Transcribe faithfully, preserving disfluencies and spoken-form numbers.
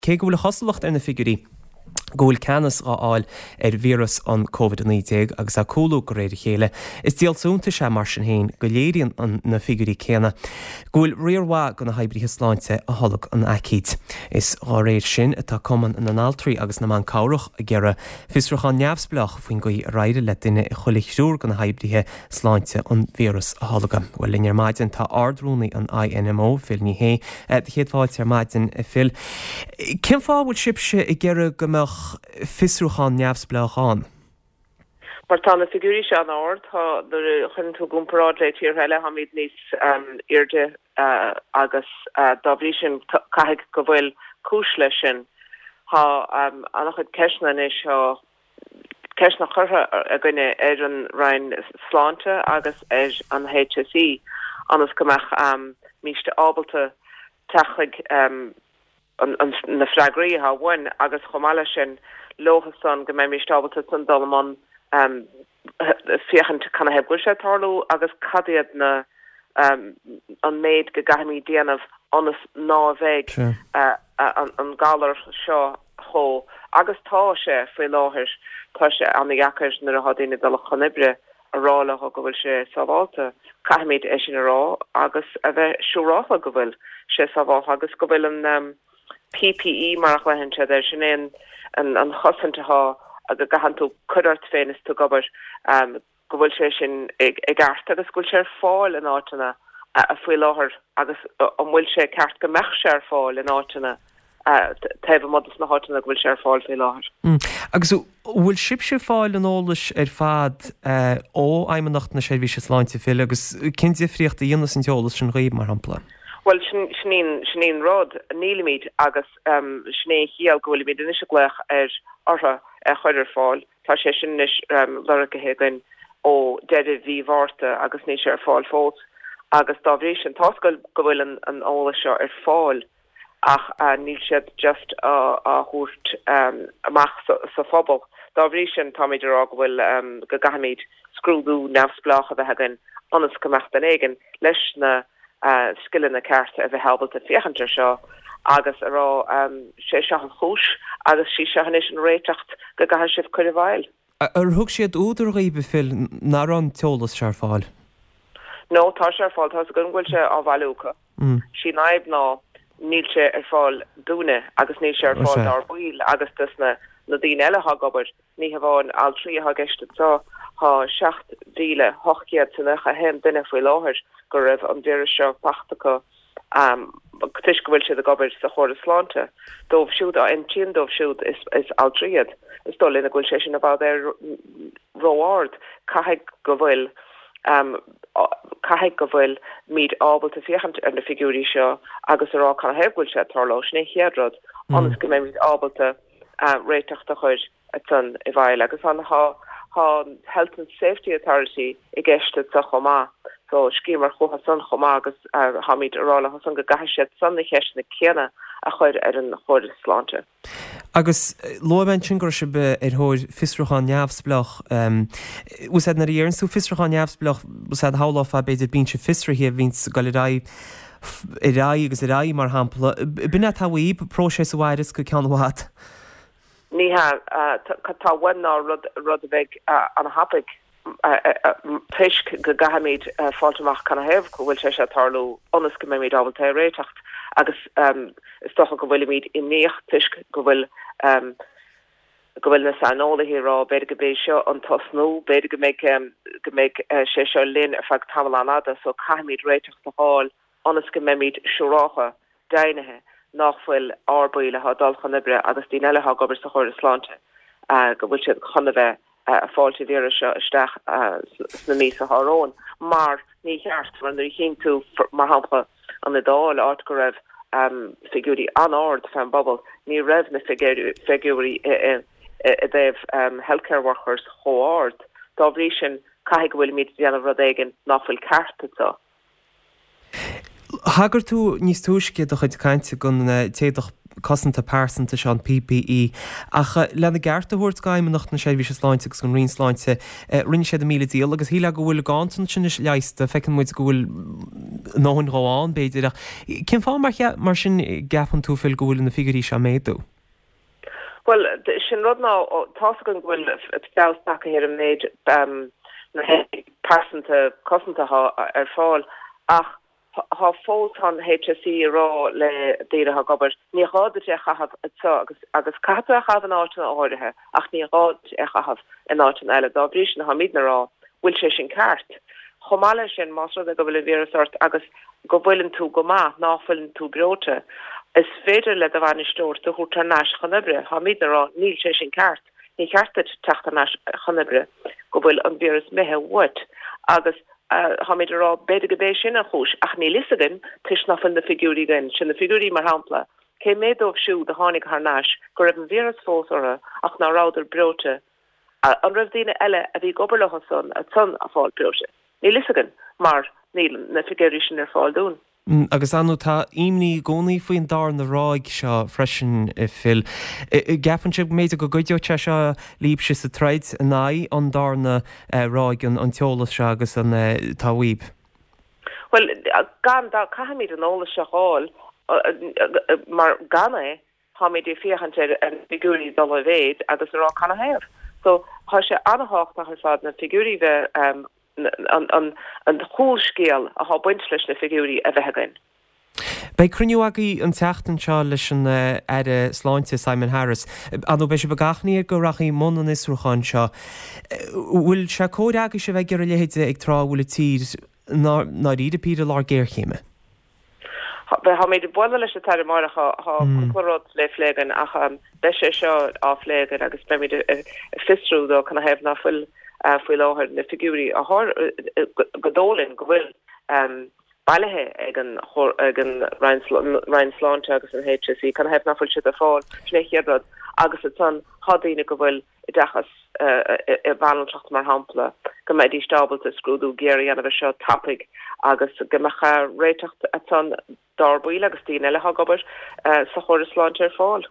Cé go bhfuil a chosúlacht ar na figiúirí go bhfuil ceannas á fháil ar víreas an Covid a naoi déag agus á cúlú de réir a chéile, is díol suntais é mar sin féin go léiríonn na figiúirí céanna go bhfuil riar mhaith de na hoibrithe sláinte a tholg an aicíd. Is dá réir sin atá Cumann na nAltraí agus na mBan Cabhrach ag iarraidh fiosrúchán neamhspleách faoin gcaoi ar éirigh le duine i chuile thriúr de na hoibrithe sláinte an víreas a tholgadh. Bhuel, linn ar maidin tá Ard-Rúnaí an I N M O, Phil Ní Sheaghdha. Do chéad fáilte ar maidin, a Phil. Cén fáth a bhfuil sibhse ag iarraidh go mbeadh fiosrúchán neamhspleách ann? Mar tá na figiúirí seo an-ard, tá nuair a chuireann tú i gcomparáid le tíortha eile, táimid níos airde agus dá bhrí sin caithfidh go bhfuil cúis leis sin. Tá an-chuid ceisteanna anois, tá ceisteanna curtha againne ar an Roinn Sláinte agus ar an H S E ionas go mbeimíst ábalta teacht chuig na freagraí atá uainn agus chomh maith leis sin leosan go mbeimíst ábalta san dul i mbun féachaint canathaobh go bhfuil sé ag tarlú agus cad iad na an méid go gcaithfimid déanamh ionas ná bheidh an galar seo chomh agus tá sé faoi láthair. Tá sé an-deacair nuair atá daoine dul chun oibre a rá leo go bhfuil sé sábháilte. Caithfimid é sin a rá agus a bheith siúráilte go bhfuil sé sábháilte agus go bhfuil an P P E mar a ghlaonn siad air sin, é an an chosaint atá go gcaitheann tú cur ort féin is tú ag obair, go bhfuil sé sin i gceart agus go bhfuil sé ar fáil in áiteanna faoi láthair agus an bhfuil sé ceart go mbeadh sé ar fáil in áiteanna taobh amuigh de na háiteanna go bhfuil sé ar fáil faoi láthair. Agus bhfuil sibhse ag fáil an eolais ar fad ó Fheidhmeannacht na Seirbhíse Sláinte, Phil, agus cén difríocht a dhéanas an t-eolas sin dhaoibh, mar shampla? Well, sin sin an rud, nílimid, agus sin é an chiall go bhfuilimid anois ag glaoch ar orthu a chur ar fáil. Tá sé sin anois lorgaithe againn ó deireadh mhí Mhárta agus níl sé ar fáil fós, agus dá bhrí sin tá go bhfuil an an eolas seo ar fáil ach níl siad just á thabhairt amach sa phobal. Dá bhrí sin táimid ag rá go bhfuil go gcaithfimid scrúdú neamhspleách a bheith againn ionas go mbeadh duine éigin leis na scileanna cearta a bheith ábalta féachaint ar seo agus a rá sé seo an chúis agus sí seo anois an réiteach go gcaithfidh sibh cur i bhfeidhm. Ar thug siad údar dhaoibh, Phil, nach raibh an t-eolas seo ar fáil? No, tá sé ar fáil, tá go bhfuil sé á bhailiú acu. Sí an fhadhb ná níl sé ar fáil dúinne agus níl sé ar fáil dár bhaill agus dus na na daoine eile ag obair. Ní hamháin altraí atá i gceist anseo, tá seacht mhíle ocht gcéad is nócha a haon duine faoi láthair go raibh an víreas seo faighte acu um, toisc go bhfuil siad ag obair sa chóras sláinte. Dóibh siúd a intinn dóibh siúd is, is altraí iad. Is dóigh linn go bhfuil sé sin i bhfad ar ró-ard. Caithfidh go bhfuil um, caithfidh go bhfuilimid ábalta féachaint ar na figiúirí seo agus a rá canathaobh go bhfuil sé ag tarlú. Sin é chéad rud ionas go mbeimid ábalta uh, réiteach a chur san i bhfeidhm agus an tá tá Health and Safety Authority i gceist sa chomh maith. So scríobhamar chucu san chomh maith agus uh, táimid ag rá leo san go gcaithfidh siad san na ceisteanna céanna a chur ar an chóras sláinte. Agus luaigh mé ansin go raibh sibh ar thóir fiosrúchán neamhspleách. Úsáid nuair a deireann tú fiosrúchán neamhspleách, úsáid shamhlófá b'fhéidir binse fiosraithe a bhíonns ag dul ar aghaidh ar aghaidh agus ar aghaidh, mar shampla. B'in é atá uaibh, próiseas a mhairfeas go ceann i bhfad? Ní hea, tá uainn ná rud rud a bheidh an-thapaidh toisc go gcaithfimid fáilt amach canathaobh go bhfuil sé seo ag tarlú ionas go mbeimid ábalta é réiteach agus is dócha go bhfuilimid imníoch toisc go bhfuil go bhfuil na saineolaithe ag rá b'fhéidir go bé seo an tosnú, b'fhéidir go mbeidh go mbeidh sé seo linn ar feadh tamall an-fhada, so caithfimid réiteach a fháil ionas go mbeimid siúráilte, deimhnithe nach bhfuil ár baill atá ag dul chun oibre agus daoine eile atá ag obair sa chóras sláinte go bhfuil siad chun a bheith fáil an víreas seo isteach sna míosa atá romhainn, mar ní cheart, mar nuair a chíonn tú, mar shampla, an Iodáil, áit go raibh figiúirí an-ard fan bpobal, ní raibh na figiúirí i dtaobh healthcare workers chomh hard. Dá bhrí sin caithfidh go bhfuilimid déanamh rud éigin nach bhfuil ceart anseo. Thagair tú níos túisce i do chuid cainte don t-éadach cosanta pearsanta seo an PPE. Ach lena gceart a thabhairt d'Fheidhmeannacht na Seirbhíse Sláinte agus an Roinn Sláinte, rinne siad a míle dícheall agus shílfeá go bhfuil ganntanas anois leigheasta, feiceann muid go bhfuil a ndóthain dhó ann, b'fhéidir, ach cén fáth mar mar sin gceapann tú Phil go bhfuil na figiúirí seo ag méadú? Bhuel, sin rud ná tá's againn go bhfuil feabhas tagtha ar an méid na héadaí pearsanta cosanta atá ar fáil ach thá fós tá an HSE ag rá le daoine atá ag obair, ní gá duit é a chaitheamh anseo agus agus caithfidh tú é a chaitheamh in áiteanna áirithe ach ní gá duit é a chaitheamh in áiteanna eile. Dá bhrí sin táimidne ag rá, bhfuil sé sin ceart? Chomh maith leis sin, más rud é go bhfuil an víreas ort agus go bhfuileann tú go maith, ná fuileann tú breoite, is féidir le do bhainisteoir tú a thabhairt thar n-ais chun oibre. Táimidne ag rá, níl sé sin ceart. Ní cheart duit teacht thar n-ais chun oibre go bhfuil an víreas imithe uait. Agus táimid ag rá, b'fhéidir gurb é sin an chúis, ach níl fhios againn toisc ná fuil na figiúirí againn. Sin na figiúirí, mar shampla, cé méad dóibh siúd a tháinig thar n-ais go raibh an víreas fós orthu ach ná rabhadar breoite? An raibh daoine eile a bhí ag obair leo san ansan ag fáil breoite? Níl fhios againn mar níl na figiúirí sin ar fáil dúinn. Agus ar ndóigh tá imní i gcónaí faoin darna ráig seo freisin, Phil. Gceapann sibh go mb'fhéidir go gcuideodh sé seo libhse sa troid in aghaidh an darna ráig, an t-eolas seo agus an atá uaibh? Bhuel, gan dabht, caithfimid an eolas seo a fháil mar gan é, táimid ag féachaint ar na figiúirí dul i mhéid agus ag rá canathaobh. So tá sé an-thábhachtach ar fad na figiúirí bheith an an chúlscéal atá ag baint leis na figiúirí a bheith againn. Beidh cruinniú agaibh an tseachtain seo leis an Aire Sláinte Simon Harris. Ar ndóigh beidh sibh ag achainí air go rachaí i mbun an fhiosrúcháin seo. Bhfuil sé cóir agaibhse a bheith ag iarraidh a leithéid ag tráth a bhfuil an tír ndáiríre píre i lár géarchéime? Táimid ag bualadh leis an tAire amárach, tá cúpla rud le plé againn ach beidh sé seo á phlé againn agus beimid ag fiosrú dó canathaobh ná fuil faoi láthair na figiúirí a gur dóigh linn go bhfuil bailithe ag an ag an Roinn Sláinte agus an HSE, canathaobh ná fuil siad ar fáil, sin é an chéad rud agus ansan tá daoine go bhfuil oideachas i mbanaltracht mar shampla, go mbeidís ábalta scrúdú géar a dhéanamh air seo tapaidh agus go mbeadh réiteach ansan dár bhaill agus daoine eile atá ag obair sa chóras sláinte ar fáil.